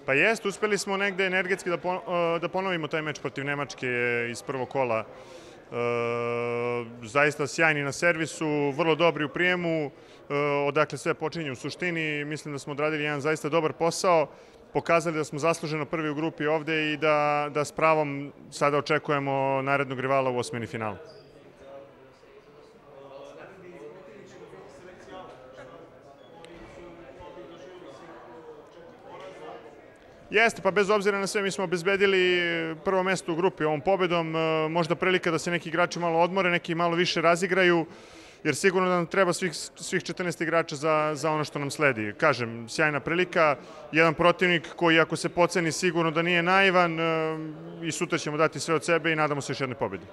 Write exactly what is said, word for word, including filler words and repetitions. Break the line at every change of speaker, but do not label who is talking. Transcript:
Pa jest, uspeli smo negde energetski da, po, da ponovimo taj meč protiv Nemačke iz prvog kola. E, zaista sjajni na servisu, vrlo dobri u prijemu, e, odakle sve počinje u suštini. Mislim da smo odradili jedan zaista dobar posao, pokazali da smo zasluženo prvi u grupi ovde i da, da s pravom sada očekujemo narednog rivala u osmini finala. Jeste, pa bez obzira na sve mi smo obezbedili prvo mesto u grupi ovom pobedom, možda prilika da se neki igrači malo odmore, neki malo više razigraju, jer sigurno da nam treba svih, svih četrnaest igrača za, za ono što nam sledi. Kažem, sjajna prilika, jedan protivnik koji ako se poceni sigurno da nije naivan i sutra ćemo dati sve od sebe i nadamo se još jedne pobedi.